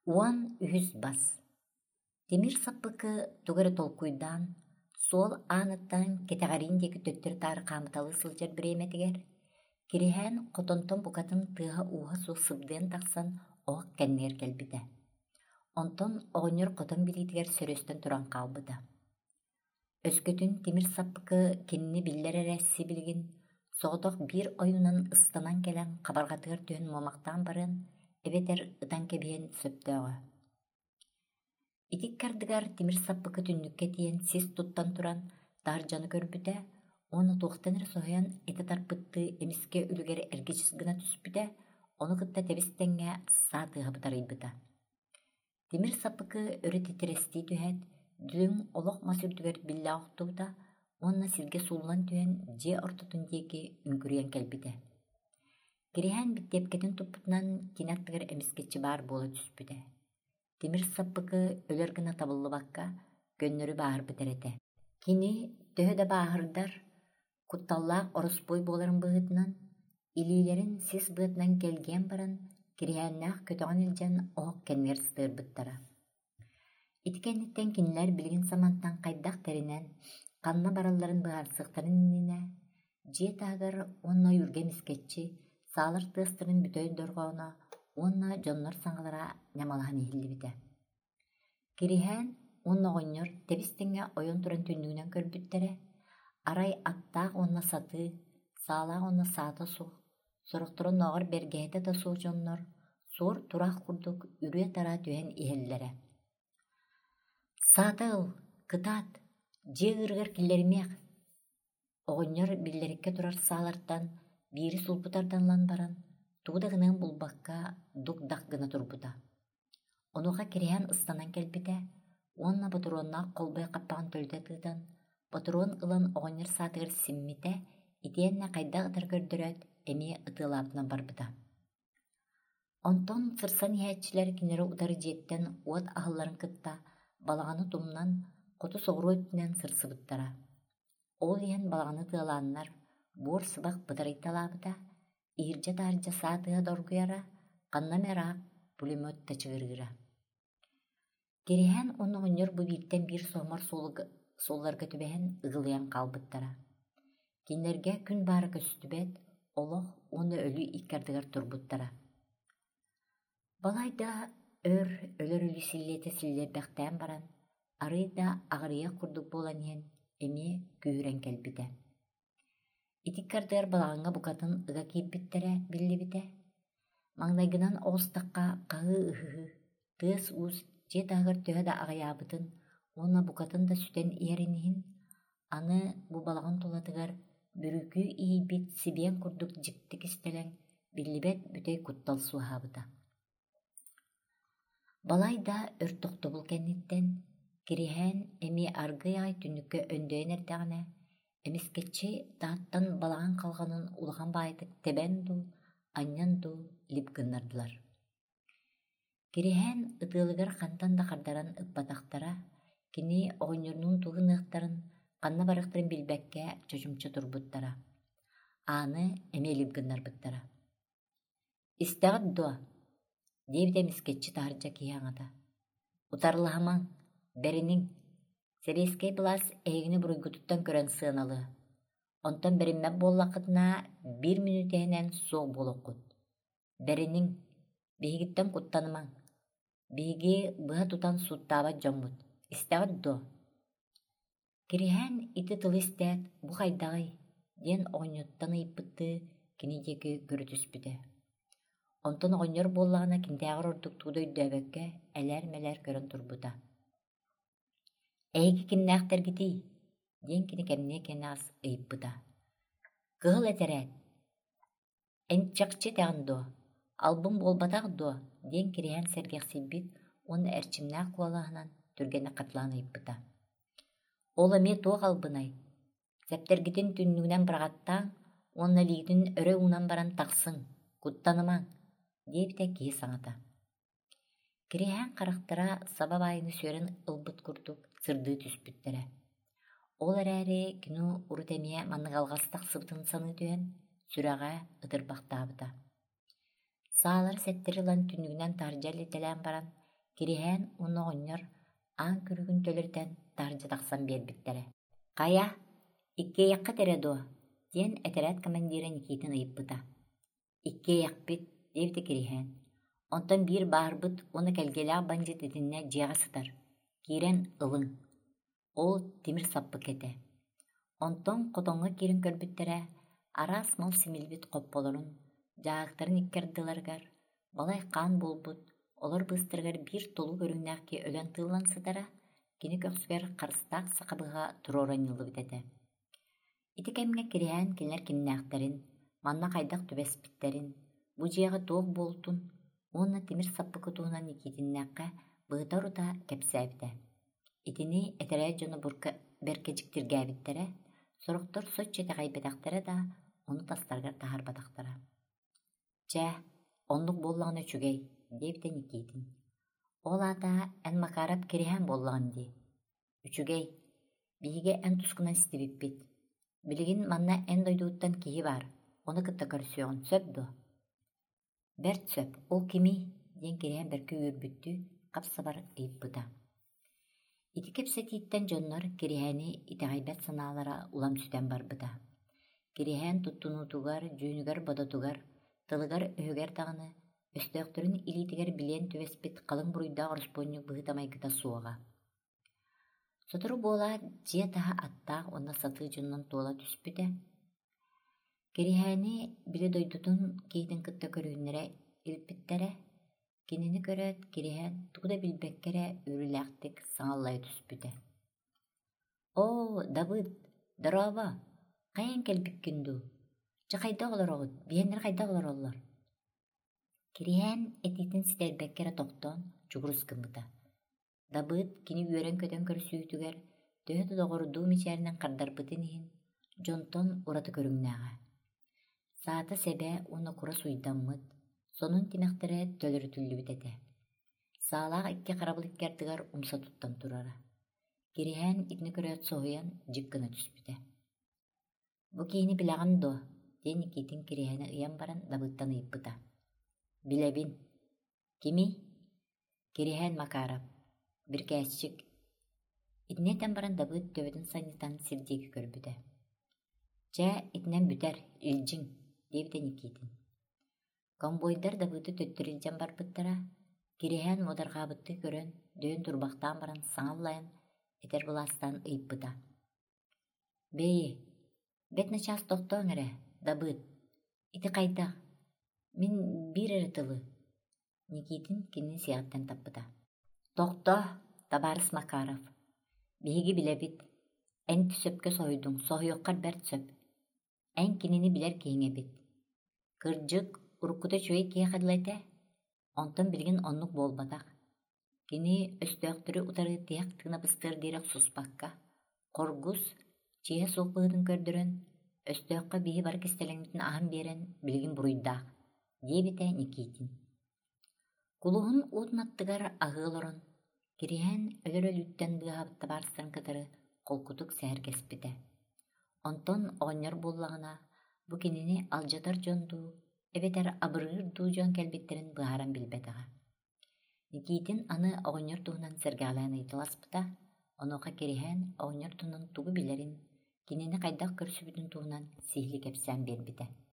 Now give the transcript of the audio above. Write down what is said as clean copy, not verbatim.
13 бас Тимир саппыкы тугу эрэ толкуйдаан, суол ааныттан кэтэҕэриин диэки төттөрү-таары хаамыталыы сылдьар бириэмэтигэр, Кириһээн хотонтон букатын тыаһа-ууһа суох сыбдыйан тахсан оһох кэннигэр кэлбитэ. Онтон оҕонньор хотон билиитигэр сөрүөстэн туран хаалбыта. Өскөтүн тимир саппыкы кинини биллэр эрэ сибилигин соҕотох биир ойуунан ыстанан кэлэн хабарҕатыгар түһэн муомахтаан барыан эбэтэр ытан кэбиһиэн сөптөөҕө. Ити ыккардыгар тимир саппыкы түннүккэ тиийэн сис туттан туран таһырдьаны көрбүтэ уонна туохтан эрэ соһуйан этэ тарпыттыы эмискэ үлүгэр эргичис гына түспүтэ, ону кытта тэбис-тэҥҥэ саа тыаһа бытарыйбыта. Тимир саппыкы өрө титирэстии түһээт, дүлүҥ олох мас үрдүгэр биллэ охтубута уонна сиргэ сууллан түһэн дьиэ ортотун диэки үҥкүрүйэн кэлбитэ. Кириһээн биттиэпкэтин туппутунан кини аттыгар эмискэччи баар буола түспүтэ. Тимир саппыкы өлөр гына табыллыбакка, көннөрү бааһырбыт эрэ этэ. Кини төһө да бааһырдар, кутталлаах ороспуой буоларын быһыытынан, илиилэрин сис быатынан кэлгийэн баран, Кириһээннээх көтөҕөн илдьэн оһох кэннигэр сытыарбыттара. Ити кэнниттэн кинилэр билигин самантан хайдах тэринэн, ханна баралларын быһаарсыахтарын иннинэ, дьиэ таһыгар уонна ойуурга эмискэччи саалар тыастарын бүтэй дорҕооно уонна дьоннор саҥалара ньамалаһан иһиллибитэ. Кириһээн уонна оҕонньор тэбис-тэҥҥэ ойон туран түннүгүнэн көрбүттэрэ, арай аттаах уонна сатыы, саалаах уонна саата суох, сорохторо оннооҕор бэргэһэтэ да суох дьоннор суор-тураах курдук үрүө-тараа түһэн иһэллэрэ. «Саата ыл, кытаат, дьиэ ыырыгар киллэримиэх» Оҕонньор биллэриккэ турар саалартан биири сулбу тардан ылан баран, тугу да гыныан булбакка дук-дах гына турбута. Онуоха кириһээн ыстанан кэлбитэ уонна ботуруоннаах холбой хаппаҕын төлүтэ тыытан, ботуруон ылан оҕонньор саатыгар симмитэ итиэннэ хайдах ытары көрдөрөөт, эмиэ ытыалаабытынан барбыта. Онтон сырсан иһээччилэр кинилэри утары дьиэттэн уот аһылларын кытта балаҕаны тумнан, хоту соҕуруу өттүнэн сырсыбыттара. Ол иһэн балаҕаны тыалааннар, буор сыбах бытарыйталаабыта, иһирдьэ-таһырдьа саа тыаһа доргуйара, ханна эмэ ыраах пулемет тачыгырыыра. Кириһээн уонна оҕонньор бу бииртэн биир соһумар суолларга түбэһэн ыгылыйан хаалбыттара. Кинилэргэ күн баара көстүбэт, олох уонна өлүү икки ардыгар турбуттара. Балайда өр өлөр өлүү силлиэтэ силлиэрбэхтээн баран, арыый да аҕырыйах курдук буолан иһэн, эмиэ күүһүрэн кэлбитэ. Ити ыккардыгар балаҕаҥҥа букатын ыга киирбиттэрэ биллибитэ. Маҥнайгынан оҕустахха хаһыы-ыһыы, тыас-уус дьиэ таһыгар төһө да аҕыйаабытын уонна букатын да сүтэн иһэрин иһин, аны бу балаҕан тулатыгар бүрүүкүү иһийбит сибиэн курдук дьикти кистэлэҥ, биллибэт бүтэй куттал суоһаабыта. Балайда өр тохтобул кэнниттэн, Кириһээн эмиэ аргыый аҕай түннүккэ өндөйөн эрдэҕинэ, эмискэччи таһыттан балаҕан халҕанын улахан баайытык тэбэн дуу, анньан дуу лип гыннардылар. Кириһээн ытыалыгар хантан да хардаран ыппатахтара, кини оҕонньорунуун тугу гыныахтарын, ханна барыахтарын билбэккэ чочумча турбуттара. Ааны эмиэ лип гыннарбыттара. «Истэҕит дуо?» диэбитэ эмискэччи таһырдьа киһи аҥата. «Утарылаһымаҥ, бэриниҥ, сэбиэскэй былаас эһигини буруйгутуттан көрөн сыаналыа. Онтон бэриммэт буоллаххытына, биир мүнүүтэ иһинэн суох буолуоххут. Бэриниҥ, биһигиттэн куттанымаҥ. Биһиги быһа тутан сууттаабат дьоммут. Истэҕит дуо?» Кириһээн ити тылы истээт, «Бу хайдаҕый?» диэн оҕонньоттон ыйыппыттыы кини диэки көрө түспүтэ. Онтон оҕонньор буоллаҕына кинитээҕэр ордук тугу да өйдөөбөккө элээр-мэлээр көрөн турбута. «Эһиги кимнээхтэргитий?» диэн кини кэмниэ кэнэҕэс ыйыппыта. «Кыһыл этэрээт Эн чахчы этэҕин дуо, албын буолбатах дуо?» диэн Кириһээн сэргэхсийбит уонна эрчимнээх куолаһынан түргэнник хатылаан ыйыппыта. «Ол эмиэ туох албынай? Сэптэргитин түннүгүнэн быраҕаттааҥ уонна илиигитин өрө уунан баран тахсыҥ, куттанымаҥ» диэбитэ киһи саҥата. Кириһээн харахтара саба баайыны сүөрэн ылбыт курдук сырдыы түспүттэрэ. Ол эрээри кини урут эмиэ маннык алҕас тахсыбытын саныы түһэн, сүрэҕэ ытырбахтаабыта. Саалары сэттэри ылан түннүгүнэн таһырдьа илитэлээн баран, Кириһээн уонна оҕонньор аан күлүгүн төлөрүтэн таһырдьа тахсан биэрбиттэрэ. «Хайа, иккиэйэххит эрэ дуо?» диэн этэрээт командира Никитин ыйыппыта. «Иккиэйэхпит», диэбитэ Кириһээн. «Онтон биир баарбыт уонна кэлгиэлээх бандьыыт итиннэ дьиэҕэ сытар. Киирэн ылыҥ». Ол тимир саппык этэ. Онтон хотоҥҥо киирэн көрбүттэрэ, араас мал симиллибит хопполорун, дьааһыктарын икки ардыларыгар балай хаан буолбут, олор быыстарыгар биир толуу көрүҥнээх киһи өлөн тыыллан сытара, кини көхсүгэр харыстаах саха быһаҕа туруора анньыллыбыт этэ. Ити кэмҥэ Кириһээн кинилэр кимнээхтэрин, манна хайдах түбэспиттэрин, бу дьиэҕэ туох буолтун уонна тимир саппыкы туһунан Никитиннээххэ быһыта-орута кэпсээбитэ. Итини этэрээт дьоно бэркэ дьиктиргээбиттэрэ, сорохтор соччо итэҕэйбэтэхтэрэ да, ону тастарыгар таһаарбатахтара. «Чэ, оннук буоллаҕына үчүгэй», диэбитэ Никитин. «Ол аата эн Макаров Кириһээн буоллаҕын дии. Үчүгэй, биһиги эн тускунан истибиппит. Билигин манна эн дойдугуттан киһи баар, ону кытта көрсүөҕүн сөп дуо?» «Бэрт сөп, ол кимий?» диэн Кириһээн бэркэ үөрбүттүү хап-сабар ыйыппыта. Ити кэпсэтииттэн дьоннор Кириһээни итэҕэйбэт санаалара улам сүтэн барбыта. Кириһээн туттунуутугар, дьүһүнүгэр-бодотугар, тылыгар-өһүгэр даҕаны өстөөхтөрүн илиитигэр билиэн түбэспит халыҥ буруйдаах ороспуонньук быһыыта-майгыта суоҕа. Сотору буолаат, дьиэ таһа аттаах уонна сатыы дьонунан туола түспүтэ. Кириһээни били дойдутун киһитин кытта көрүһүннэрэ илпиттэрэ. Кинини көрөөт, Кириһээн тугу да билбэккэ эрэ үөрүүлээхтик саҥаллайа түспүтэ. «Оо, Дабыт, дорообо, хайаан кэлбиккин дуу? Дьэ хайдах олороҕут, биһиэннэр хайдах олороллор?» Кириһээн этиитин ситэрбэккэ эрэ тохтоон чугурус гыммыта. Дабыыт кини үөрэн-көтөн көрсүүтүгэр төһө да доҕордуу мичээринэн хардарбытын иһин, дьонтон ураты көрүҥнээҕэ. Саата-сэбэ уонна кура суйдаммыт, сонун тимэхтэрэ төлөрүтүллүбүт этэ. Саалаах икки харабыл икки ардыгар умса туттан турара. Кириһээн итини көрөөт соһуйан дьик гына түспүтэ. «Бу киһини билэҕин дуо?» диэн Никитин Кириһээни ыйан баран Дабыыттан ыйыппыта. «Билэбин. Кимий?» Кириһээн Макаров, бирикээсчик. Итини этэн баран Дабыыт төбөтүн санньытан сир диэки көрбүтэ. «Чэ, итинэн бүтэр, илдьиҥ», диэбитэ Никитин. Конвойдар Дабыыты төттөрү илдьэн барбыттара, Кириһээн муодарҕаабыттыы көрөн, дөйөн турбахтаан баран саҥа аллайан, этэр былаастаан ыйыппыта. «Бэйи, бэрт начаас тохтооҥ эрэ, Дабыыт, ити хайдах? Мин биир эрэ тылы, Никитин кинини сиэҕиттэн таппыта: «Тохтоо, табаарыс Макаров, биһиги билэбит, эн сөпкө соһуйдуҥ, соһуйуоххар бэрт сөп. Эн кинини билэр киһиҥ эбит. Кырдьык, уруккута үчүгэй киһиэхэ дылы этэ, онтон билигин оннук буолбатах. Кини өстөөхтөрү утары тиһэх тыына быстыар диэри охсуспакка, хоргус, чиэһэ суох быһыытын көрдөрөн, өстөөххө биһи бары кистэлэҥмитин аһан биэрэн билигин буруйдаах», диэбитэ Никитин. Кулуһун уотун аттыгар аһыы олорон, Кириһээн өлөр өлүүттэн быыһаабыт табаарыстарын кытары холкутук сэһэргэспитэ. Онтон оҕонньор буоллаҕына, бу кинини алдьатар дьон дуу, эбэтэр абырыыр дуу дьон кэлбиттэрин быһааран билбэтэҕэ. Никитин аны оҕонньор туһунан сэргэҕэлээн ыйыталаспыта, онуоха Кириһээн оҕонньор туһунан тугу билэрин, кинини хайдах көрсүбүтүн туһунан сиһилии кэпсээн биэрбитэ.